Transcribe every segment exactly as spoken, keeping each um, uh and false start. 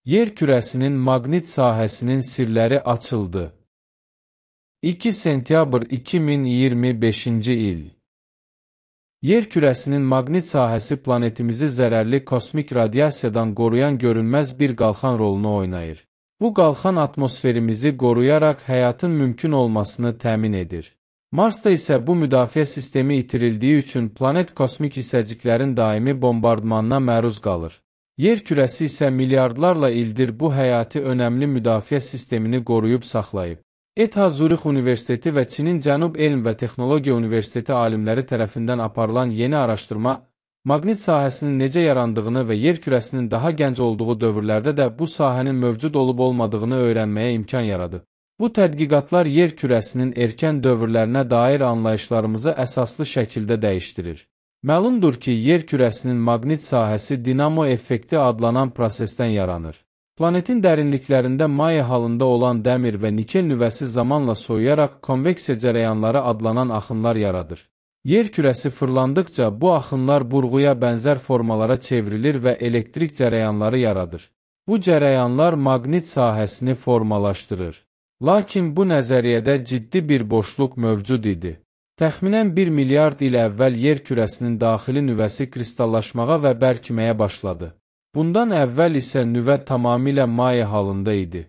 Yer kürəsinin maqnit sahəsinin sirləri açıldı. iki sentyabr iki min iyirmi beşinci il. Yer kürəsinin maqnit sahəsi planetimizi zərərli kosmik radiasiyadan qoruyan görünməz bir qalxan rolunu oynayır. Bu qalxan atmosferimizi qoruyaraq həyatın mümkün olmasını təmin edir. Marsda isə bu müdafiə sistemi itirildiyi üçün planet kosmik hissəciklərin daimi bombardmanına məruz qalır. Yer kürəsi isə milyardlarla ildir bu həyati önəmli müdafiə sistemini qoruyub saxlayıb. E T H Zürix Universiteti və Çinin Cənub Elm və Texnologiya Universiteti alimləri tərəfindən aparılan yeni araşdırma, maqnit sahəsinin necə yarandığını və yer kürəsinin daha gənc olduğu dövrlərdə də bu sahənin mövcud olub-olmadığını öyrənməyə imkan yaradı. Bu tədqiqatlar yer kürəsinin erkən dövrlərinə dair anlayışlarımızı əsaslı şəkildə dəyişdirir. Məlumdur ki, yer kürəsinin maqnit sahəsi dinamo effekti adlanan prosesdən yaranır. Planetin dərinliklərində maye halında olan dəmir və nikel nüvəsi zamanla soyuyaraq konveksiya cərəyanları adlanan axınlar yaradır. Yer kürəsi fırlandıqca bu axınlar burğuya bənzər formalara çevrilir və elektrik cərəyanları yaradır. Bu cərəyanlar maqnit sahəsini formalaşdırır. Lakin bu nəzəriyyədə ciddi bir boşluq mövcud idi. Təxminən bir milyard il əvvəl yer kürəsinin daxili nüvəsi kristallaşmağa və bərkiməyə başladı. Bundan əvvəl isə nüvə tamamilə maye halında idi.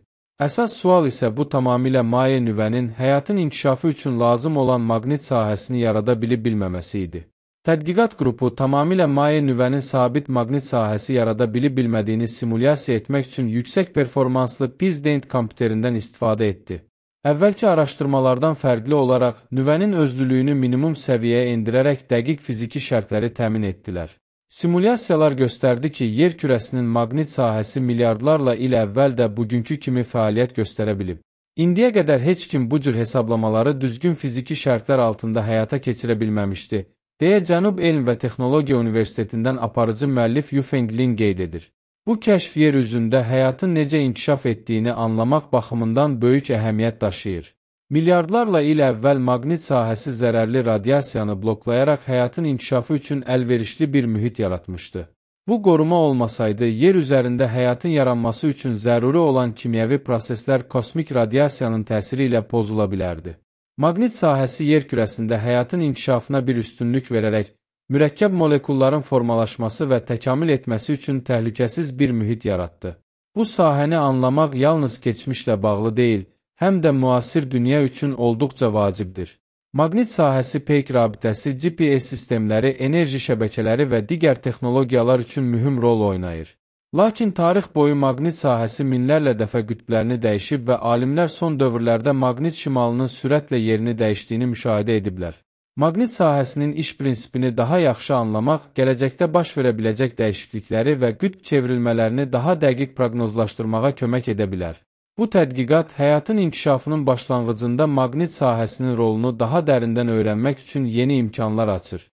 Əsas sual isə bu tamamilə maye nüvənin həyatın inkişafı üçün lazım olan maqnit sahəsini yarada bilib-bilməməsi idi. Tədqiqat qrupu tamamilə maye nüvənin sabit maqnit sahəsi yarada bilib-bilmədiyini simulyasiya etmək üçün yüksək performanslı Pizdent kompüterindən istifadə etdi. Əvvəlki araşdırmalardan fərqli olaraq nüvənin özlülüyünü minimum səviyyəyə endirərək dəqiq fiziki şərtləri təmin etdilər. Simulyasiyalar göstərdi ki, yer kürəsinin maqnit sahəsi milyardlarla il əvvəl də bugünkü kimi fəaliyyət göstərə bilib. İndiyə qədər heç kim bu cür hesablamaları düzgün fiziki şərtlər altında həyata keçirə bilməmişdi, deyə Cənub Elm və Texnologiya Universitetindən aparıcı müəllif Yufeng Lin qeyd edir. Bu kəşf yer üzündə həyatın necə inkişaf etdiyini anlamaq baxımından böyük əhəmiyyət daşıyır. Milyardlarla il əvvəl maqnit sahəsi zərərli radiasiyanı bloklayaraq həyatın inkişafı üçün əlverişli bir mühit yaratmışdı. Bu qoruma olmasaydı, yer üzərində həyatın yaranması üçün zəruri olan kimyəvi proseslər kosmik radiasiyanın təsiri ilə pozula bilərdi. Maqnit sahəsi yer kürəsində həyatın inkişafına bir üstünlük verərək, mürəkkəb molekulların formalaşması və təkamül etməsi üçün təhlükəsiz bir mühit yaratdı. Bu sahəni anlamaq yalnız keçmişlə bağlı deyil, həm də müasir dünya üçün olduqca vacibdir. Maqnit sahəsi peyk rabitəsi, G P S sistemləri, enerji şəbəkələri və digər texnologiyalar üçün mühüm rol oynayır. Lakin tarix boyu maqnit sahəsi minlərlə dəfə qütblərini dəyişib və alimlər son dövrlərdə maqnit şimalının sürətlə yerini dəyişdiyini müşahidə ediblər. Maqnit sahəsinin iş prinsipini daha yaxşı anlamaq, gələcəkdə baş verə biləcək dəyişiklikləri və qütb çevrilmələrini daha dəqiq proqnozlaşdırmağa kömək edə bilər. Bu tədqiqat həyatın inkişafının başlanğıcında maqnit sahəsinin rolunu daha dərindən öyrənmək üçün yeni imkanlar açır.